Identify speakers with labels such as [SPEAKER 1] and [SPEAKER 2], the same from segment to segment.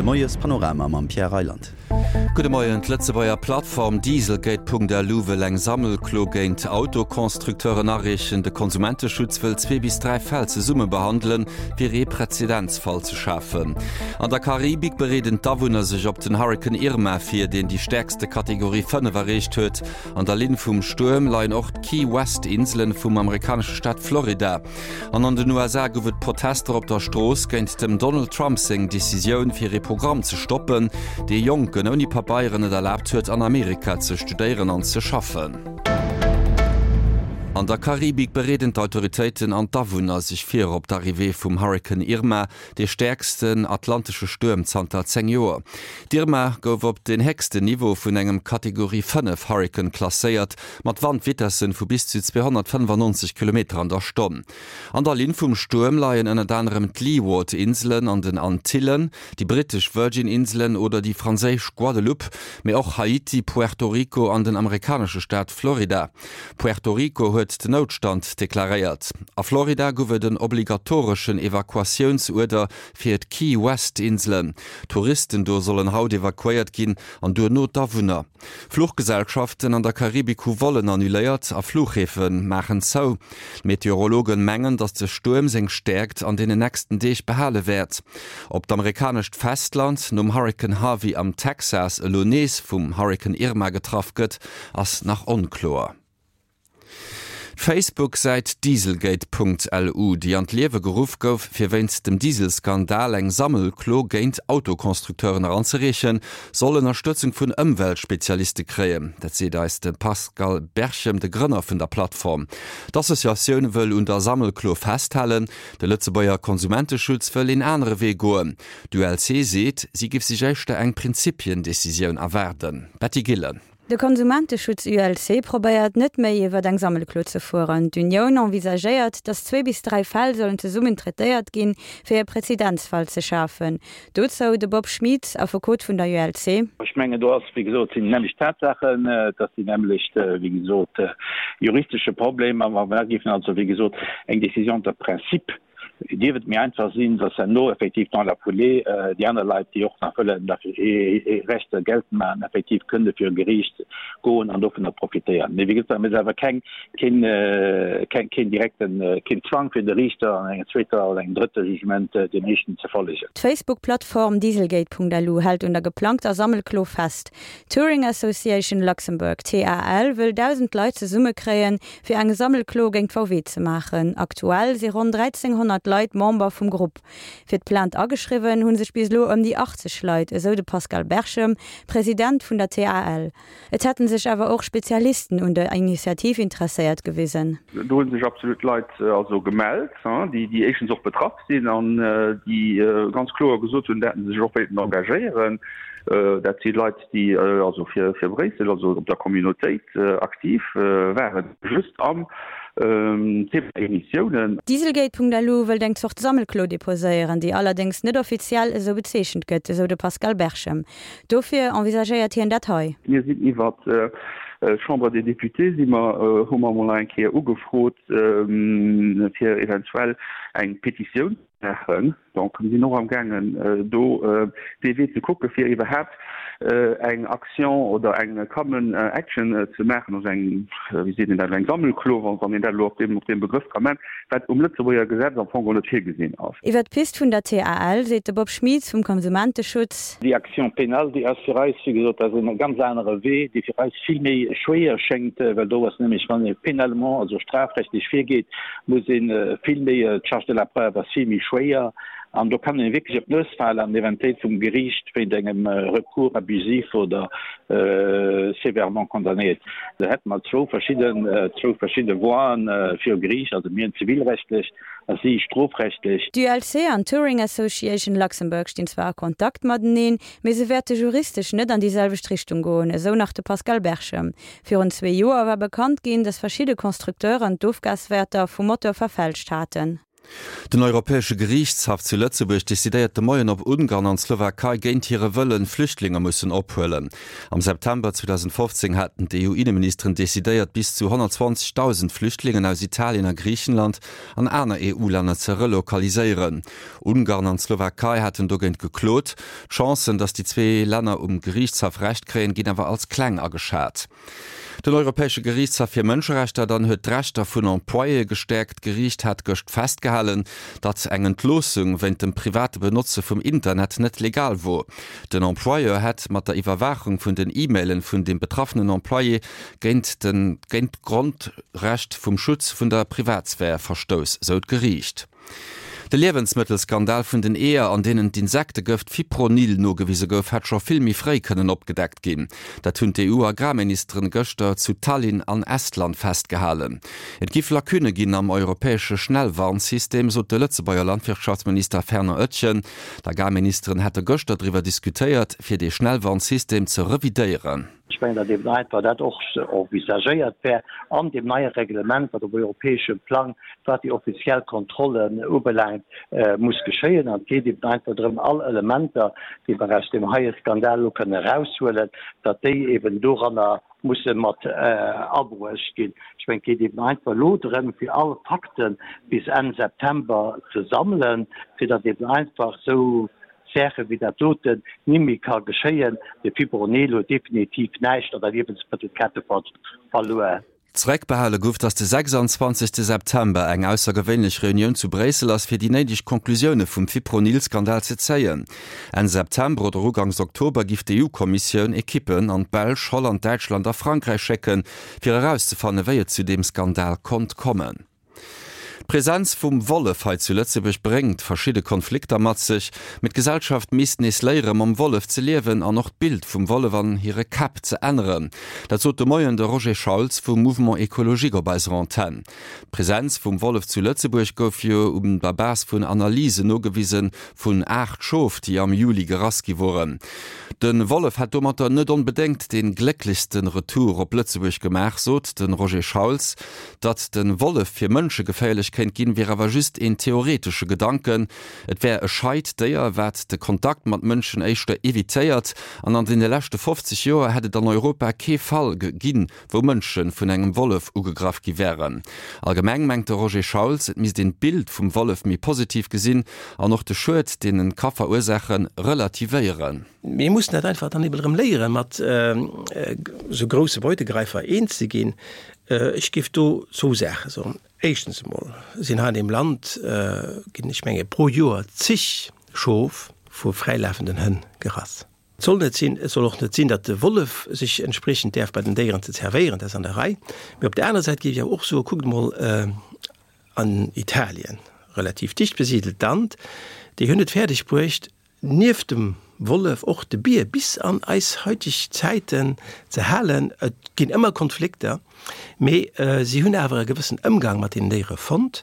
[SPEAKER 1] De Moiespanorama mam Pierre Reyland.
[SPEAKER 2] Gudde Moien, D'Lëtzebuerger Plattform Dieselgate.lu wëll eng Sammelklo géint Autoconstructeuren areechen. De Konsumenteschutz wëll zwee bis 3 Fäll zesumme behandelen, fir ee Präzedenzfall ze schafen. An der Karibik bereeden d'Awunner sech op den Hurrikan Irma vir, deen déi stäerkste Kategorie 5 erreecht huet. An der Linn vum Stuerm leien och d'Key West Inselen vum amerikanesche Staat Florida. An an den USA gouf et Protester op der Strooss géint dem Donald Trump seng Decisioun fir ee Programm ze stoppen, dee Jonken ouni Pabeieren et erlaabt huet an Amerika ze studéieren an ze schaffen. An der Karibik bereeden d'Autoritéiten an d'Awunner sech vir op d'Arrivée vum Hurrikan Irma, dee stäerksten atlantesche Stuerm zanter 10 Joer. D'Irma gouf op den héchsten Niveau vun engem Kategorie 5 Hurrikan klasséiert, mat Wandvitessen vu bis zu 295 Kilometer an der Stonn. An der Linn vum Stuerm leien ënnert anerem d'Leeward-Inselen an den Antillen, déi brittesch Virgin-Inselen oder déi franséisch Guadeloupe, mee och Haiti, Puerto Rico an den amerikanesche Staat Florida. Puerto Rico huet den Noutstand deklaréiert. A Florida gouf et en obligatoreschen Evakuatiounsuerder fir d'Key West Inselen. Touristen do sollen haut evakuéiert ginn an duerno d'Awunner. Fluchgesellschaften an der Karibik hu Vollen annuléiert a Fluchhäfe maachen zou. D'Meteorologen mengen, datt de Stuerm seng Stäerkt an deenen nächsten Deeg behale wäert. Ob d'amerikanescht Festland nom Hurrikan Harvey am Texas elo nees vum Hurrikan Irma getraff gëtt, ass nach onkloer. D'Facebook-Säit Dieselgate.lu, déi an d'Liewe geruff gouf, fir wéinst dem Dieselskandal eng Sammelklo géint Autoconstructeuren eranzereechen, soll Ënnerstëtzung vun Ëmweltspezialiste kréien. Dat seet eis de Pascal Berchem, de Grënner vun der Plattform. D'Associatioun wëll un der Sammelklo festhalen. De Lëtzebuerger Konsumenteschutz wëll een anere Wee goen. D'ULC seet, si giff sech éischter eng Prinzipiendecisioun erwaarden. Betty Gillen.
[SPEAKER 3] De Konsumenteschutz ULC probéiert net méi iwwer eng Sammelklo ze fueren. D'Unioun envisagéiert, datt zwee bis 3 Fäll sollen zesummen traitéiert ginn, fir e Prezedenzfall ze schafen. Dozou de Bob Schmit, Affekot vun der ULC.
[SPEAKER 4] Ech mengen, do ass, wéi gesot, sinn déi nämmlecht Tatsaachen, et ass déi nämmlecht, wéi gesot, juristesche Problem. A wa mer dat géifen also, wéi gesot, eng Décision de principe Dierf et méi einfach sinn, dass herno effektiv dans la foulée déi aner Leit, déi och nach wëllen hir Rechter geltend maachen, effektiv kënne viru Geriicht goen an dovunner profitéieren. Mee wéi gesot, et ass awer keng, keen, keen direkten, keen Zwang fir de Riichter an enger zweeter oder engem drëtte Jugement deem éischten ze follegen.
[SPEAKER 3] D'Facebook-Plattform Dieselgate.lu hält un der geplangter Sammelklo fest. D'Touring Association Luxembourg, TAL, wëll 1.000 Leit zesummekréien, fir eng Sammelklo géint VW ze maachen. Aktuell si ronn 1.300 Leit Member vum Grupp. Fir d'Plainte ageschriwwen hu sech bis elo ëm déi 80 Leit, esou de Pascal Berchem, President vun der TAL. Et hätte sech awer och Spezialisten un der Initiativ interesséiert gewisen.
[SPEAKER 5] Do hu sech absolut Leit also gemellt, déi éischtens och betraff sinn an déi ganz kloer gesot hunn, datt se sech och wéilten engagéieren. Dat si Leit, déi also fir Bréissel, also op der Communautéit aktiv waren, just am Thema Emissiounen.
[SPEAKER 3] Dieselgate.lu wëllt eng Zort Sammelklo deposéieren, déi allerdéngs net offiziell esou bezeechent gëtt, esou de Pascal Berchem. Dofir envisagéiert hien dat hei.
[SPEAKER 5] Mir sinn iwwer d'Chambre des Députés si mer, hu mer emol nach eng Kéier ugefrot, fir eventuell eng Petitioun ze maachen. Donc mir sinn och amgaangen do dee Wee ze kucke fir iwwerhaapt eng Action oder eng common action ze maachen, also eng, wéi seet een dat, eng Sammelklo, wann een dat elo op deem op deem Begrëff ka man, wat um Lëtzebuerger Gesetz am Fong och net virgesinn ass.
[SPEAKER 3] Iwwer d'Pist vun der TAL seet de Bob Schmieds vum Konsumenteschutz.
[SPEAKER 4] Déi Action pénale, déi ass fir eis, wéi gesot, dat ass en ganz anere Wee, dee fir eis vill méi schwéier schéngt, well do ass nämlech, wann ee pénalement, also strafrechtlech virgeet, muss ee vill méi, d'Charge de la preuve ass vill méi schwéier an do kann ee wierklech op d'Nues falen an eventuell vum Geriicht wéint engem Recours abusif oder sévèrement condamnéiert. Do hätte mer zwou verschidden, zwou verschidde Voien viru Geriicht, also mir zivilrechtlech a si strofrechtlech.
[SPEAKER 3] D'ULC an d'Touring Association Luxembourg stinn zwar a Kontakt mateneen, mee se wäerte juristesch net an déi selwecht Richtung goen, esou nach de Pascal Berchem. Virun zwee Joer war bekannt ginn, datt verschidde Constructeuren d'Ofgaswäerter vum Motor verfälscht haten.
[SPEAKER 2] Den Europäesche Geriichtshaff zu Lëtzebuerg decidéiert de Moien, ob Ungarn an d'Slowakei géint hire Wëllen Flüchtlinge mussen ophuelen. Am September 2015 haten d'EU-Inneministeren decidéiert, bis zu 120.000 Flüchtlingen aus Italien a Griichenland an aner EU-Länner ze relokaliséieren. Ungarn an d'Slowakei haten dogéint geklot. D'Chancen, datt déi zwee Länner um Geriichtshaff Recht kréien, ginn awer als kleng ageschat. Den Europäesche Geriichtshaff fir Mënscherechter dann huet d'Rechter vun Employéë gestäerkt. D'Geriicht hat gëscht festgehalen, datt eng Entloossung wéint dem private Benotze vum Internet net legal wor. Den Employeur hätt mat der Iwwerwaachung vun den E-Mailen vun dem betraffenen Employé géint de géint d'Grondrecht vum Schutz vun der Privatsphär verstouss, sou d'Geriicht. De Liewensmëttelskandal vun den Eeër, an deenen d'Insektegëft Fipronil nogewise gouf, hätt scho vill méi fréi kënnen opgedeckt ginn. Dat hunn d'EU-Agrarministeren gëschter zu Tallinn an Estland festgehalen. Et giff Lacunne ginn am europäesche Schnellwarnsystem, sot de Lëtzebuerger Landwirtschaftsminister Fernand Oetjen. D'Agrarministeren hätte gëschter driwwer diskutéiert, fir dee Schnellwarnsystem ze revidéieren.
[SPEAKER 4] Ech mengen, datt eben einfach dat och envisagéiert wär an deem neie Reglement, wat op europäeschem Plang, wat déi offiziell Kontrollen ubelaangt, muss geschéien. An et geet eben einfach drëm, all Elementer, déi mer aus deem heie Skandal elo kënnen eraushuelen, datt déi eben doranner musse mat abruecht ginn. Ech mengen, et geet eben einfach elo drëm, fir all Fakte bis Enn September ze sammelen, fir datt eben einfach esou Saache wéi dat doten nimmi ka geschéien. De Fipronil huet definitiv näischt an der Liewensmëttelkette verluer.
[SPEAKER 2] Zeréckbehale gouf, datt de 26 September eng aussergewéinlech Reunioun zu Bréissel ass, fir déi néideg Conclusioune vum Fipronil-Skandal ze zéien. Enn September oder uganks Oktober giff d'EU-Kommissioun Ekippen an d'Belsch, Holland, Däitschland a Frankräich schécken, fir erauszefanne wéi et zu deem Skandal konnt kommen. D'Presenz vum Wollef hei zu Lëtzebuerg bréngt verschidde Konflikter mat sech, mee d'Gesellschaft misst nees léiere mam Wollef ze liewen an och d'Bild vum Wollef an hire Käpp ze änneren. Dat sot de Moien de Roger Schauls vum Mouvement Ecologique op eiser Antenn. D'Presenz vum Wollef zu Lëtzebuerg gouf jo un der Base vun Analysen nogewisen vun 8 Schof, déi am Juli gerass gi woren. De Wollef hätt domatter net onbedéngt dee glécklechste Retour op Lëtzebuerg gemaach, sot de Roger Schauls. Datt de Wollef fir Mënsche geféierlech kéint ginn, wier awer just een theoretesche Gedanken. Et wär e scheit Déier, wat de Kontakt mat Mënschen éischter evitéiert. An an deene leschte 50 Joer hätt et an Europa kee Fall ginn, wou Mënsche vun engem Wollef ugegraff gi wären. Allgemeng mengt de Roger Schauls, et misst een d'Bild vum Wollef méi positiv gesinn an och de Schued, deen en ka verursaachen, relativéieren.
[SPEAKER 6] Mir mussen dat einfach dann eben erëm léieren, mat esou grousse Beutegreifer eens ze ginn. Ech géif do zwou Saache soen. Éischtens emol sinn hei an deem Land, ginn, ech menge pro Joer zig Schof vu fräilafenden Hënn gerass. Et soll net sinn, et soll och net sinn, datt de Wollef sech entspriechend däerf bei den Déieren ze zerwéieren, dat ass an der Rei. Mee op der anerer Säit géif ech awer och soen, kuckt emol an Italien, relativ dicht besidelt Land, déi hunn et fäerdeg bruecht, nieft dem Wollef och de Bier bis an eis heutig Zäiten ze halen. Et ginn ëmmer Konflikter, mee si hunn awer e gewëssen Ëmgang mat deenen Déiere fonnt.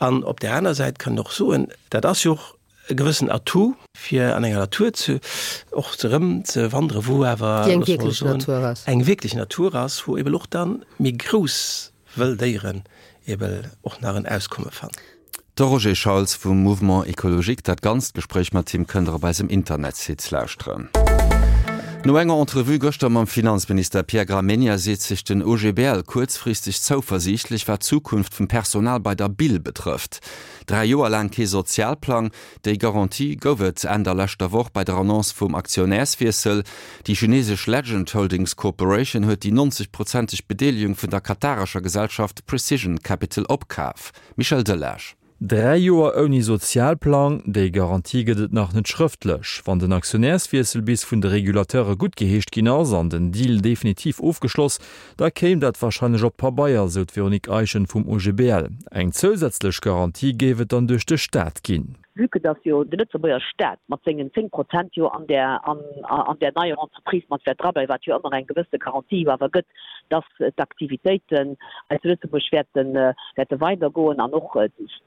[SPEAKER 6] An op där aner Säit kann een och soen, dat ass jo och e gewëssen Atout, fir an enger Natur ze och erëm ze wanderen, wou awer,
[SPEAKER 7] Déi eng wierklech Natur ass.
[SPEAKER 6] Eng wierklech Natur ass, wou eeben och da méi grouss wëll Déieren eeben och nach en Auskomme fannen.
[SPEAKER 2] De Roger Schauls vum Mouvement Ecologique. Dat ganzt Gespréich mat him kënnt der op eisem Internetsite lauschteren. No enger Entrevue gëschter mam Finanzminister Pierre Gramegna seet sech den OGBL kuerzfristeg zouversiichtlech, wat d'Zukunft vum Personal bei der Bill betrëfft. 3 Joer laang kee Sozialplang, déi Garantie gouf et Enn der leschter Woch bei der Annonce vum Aktionärswiessel. Déi chinesesch Legend Holdings Corporation huet déi 90 prozenteg Bedeelegung vun der katarescher Gesellschaft Precision Capital opkaf. Michel Delage.
[SPEAKER 8] 3 Joer ouni Sozialplang, déi Garantie gëtt et nach net schrëftlech. Wann den Aktionärswiessel bis vun de Regulateure guttgeheescht ginn ass an den Deal definitiv ofgeschloss, da kéim dat warscheinlech op Pabeier, sou d'Véronique Eischen vum OGBL. Eng zousätzlech Garantie géif et dann duerch de Staat ginn.
[SPEAKER 7] Vue que dass jo de Lëtzebuerger Staat mat sengen 10 Prozent jo an där, an, an där neier Entreprise mat wäert drableiwen, wat jo ëmmer eng gewësse Garantie jo awer gëtt, dass d'Aktivitéiten hei zu Lëtzebuerg wäerten, wäerte weidergoen an och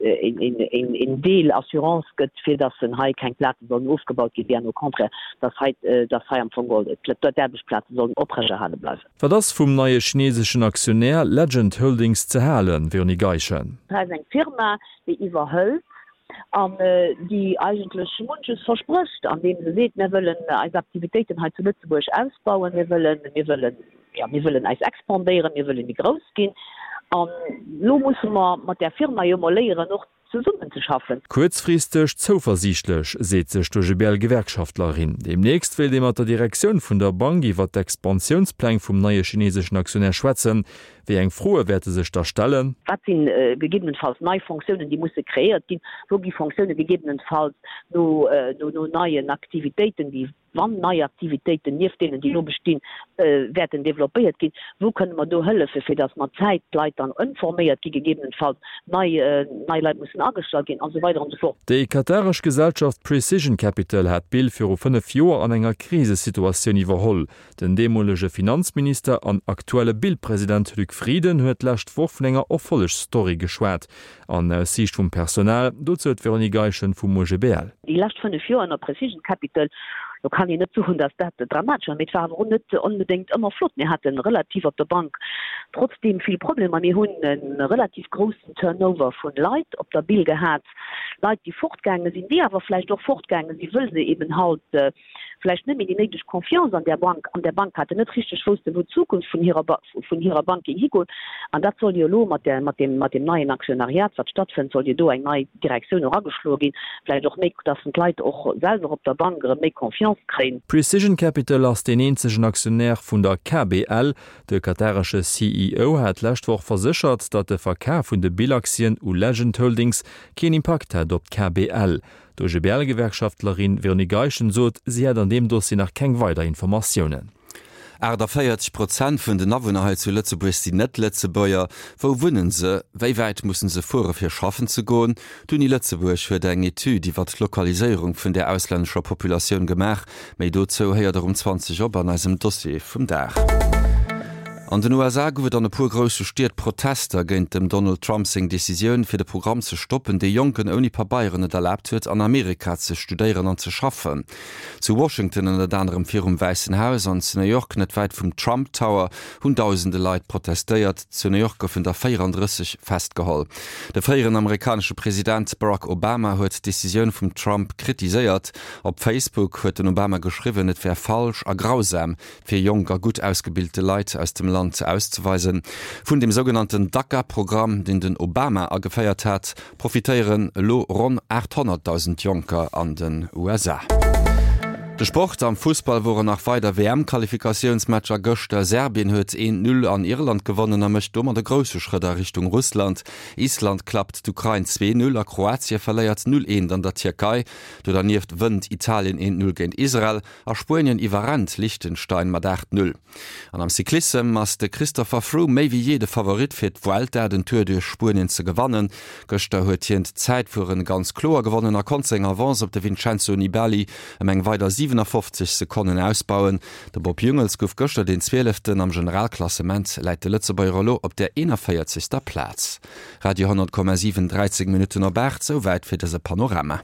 [SPEAKER 7] een Deel Assurance gëtt, fir dass en hei keng Plaze sollen ofgebaut ginn, bien au contraire, dass hei, dass hei am Fong geholl d'Aarbechtsplaze sollen oprechterhale bleiwen.
[SPEAKER 8] Wat ass vum neie chineseschen Aktionär Legend Holdings ze halen, Véronique Eischen?
[SPEAKER 7] Hei ass eng Firma, déi iwwerhëlt an déi eigentlech munches versprécht, andeem se seet, Mir wëllen eis Aktivitéiten hei zu Lëtzebuerg ausbauen, mir wëllen, mir wëllen, jo, mir wëllen eis expandéieren, mir wëlle méi grouss ginn. An elo musse mer mat där Firma jo emol léieren, och zesummenzeschaffen.
[SPEAKER 8] Kuerzfristeg zouversiichtlech, seet sech d'OGBL-Gewerkschaftlerin. Deemnächst wéilt ee mat der Direktioun vun der Bank iwwer d'Expansiounspläng vum neie chineseschen Aktionär schwätzen. Wéi eng Froe wäerte sech da stellen?
[SPEAKER 7] Wat si gegebenenfalls nei Fonctiounen, déi musse kreéiert ginn? Wou gi Fonctioune gegebenenfalls no neien Aktivitéiten, déi, wann nei Aktivitéiten nieft deenen, déi elo bestinn, wäerten developpéiert ginn, wou kënne mer do hëllefen, fir datt mat Zäit d'Leit dann ëmforméiert gi, gegebenenfalls nei nei Leit mussen agestallt ginn an esou weider an esou fort.
[SPEAKER 8] Déi kataresch Gesellschaft Precision Capital hat d'Bill viru 5 Joer an enger Krisesituatioun iwwerholl. Den deemolege Finanzminister an aktuelle Bill-President Luc Frieden huet d'lescht Woch vun enger Erfollegsstory geschwat. An aus Siicht vum Personal, dozou d'Véronique Eischen vum OGBL.
[SPEAKER 7] Déi lescht 5 Joer ënner Precision Capital, do kann een net soen, datt dat dramatesch war, mee et war awer och net onbedéngt ëmmer flott. Mir hate relativ op der Bank trotzdeem vill Problemer. Mir hunn e relativ groussen Turnover vu Leit op der Bill gehat, Leit, déi fortgaange sinn, déi awer vläicht och fortgaange sinn, wëll se eben halt vläicht net méi déi néideg Confiance an där Bank, an där Bank haten, net richteg woussten, wou d'Zukunft vun hirer, vun hirer Bank géing higoen. An dat soll jo elo mat där, mat deem, mat deem neien Aktionariat, wat stattfënnt, soll jo do eng nei Direktioun och ageschloe ginn, vläicht och méi, dass d'Leit och selwer op der Bank erëm méi Confiance kréien.
[SPEAKER 8] Precision Capital ass deen eenzegen Aktionär vun der KBL. De kataresche CEO hat d'lescht Woch verséchert, datt de Verkaf vun de Bill-Aktien u Legend Holdings keen Impakt hätt op d'KBL. D'OGBL-Gewerkschaftlerin Véronique Eischen sot, si hätt an deem Dossier nach keng weider Informatiounen.
[SPEAKER 2] 48 Prozent vun den Awunner hei zu Lëtzebuerg sinn Net-Lëtzebuerger. Wou wunnen se? Wéi wäit mussen se fuere fir schaffen ze goen? D'Uni Lëtzebuerg huet eng Etüd iwwer d'Lokaliséierung vun där auslännescher Populatioun gemaach. Méi dozou héiert der um 20 op an eisem Dossier vum Dag. An den USA gouf et an e puer grousse Stied Protester géint dem Donald Trump seng Decisioun, fir de Programm ze stoppen, dee Jonken ouni Pabeieren et erlaabt huet, an Amerika ze studéieren an ze schaffen. Zu Washington, ënnert anerem virum Wäissen Haus, an zu New York, net wäit vum Trump Tower, hunn dausende Leit protestéiert. Zu New York goufen der 34 festgeholl. De fréieren amerikanesche President Barack Obama huet d'Decisioun vum Trump kritiséiert. Op Facebook huet den Obama geschriwwen, et wär falsch a grausam, fir jonk a gutt ausgebilte Leit aus dem Land auszeweisen. Vun dem sougenannten DACA-Programm, deen den Obama ageféiert hat, profitéieren elo ronn 800.000 Jonker an den USA. De Sport, Am Fussball woren nach weider WM-Qualifikatiounsmatcher gëschter. Serbien huet 1, 0 an Irland gewonnen a mécht domat e grousse Schrëtt a Richtung Russland. Island klappt d'Ukrain 2, 0 a Kroatie verléiert 0, 1 an der Tierkei. Do dernieft wënnt Italien 1, 0 géint Israel a Spuenien iwwerrennt Liechtenstein mat 8, 0. An am Cyclissem ass de Christopher Froome méi wéi jee de Favorit fir d'Vuelta, den Tour duerch Spuenien, ze gewannen. Gëschter huet hien d'Zäitfueren ganz kloer gewonnen a konnt seng Avance op de Vincenzo Nibali ëm eng weider 57 Sekonnen ausbauen. De Bob Jungels gouf gëschter deen Zwieleften. Am Generalklassement läit de Lëtzebuerger elo op der 41. Plaz. Radio 10,7 13 Minutten op 8, souwäit fir dëse Panorama.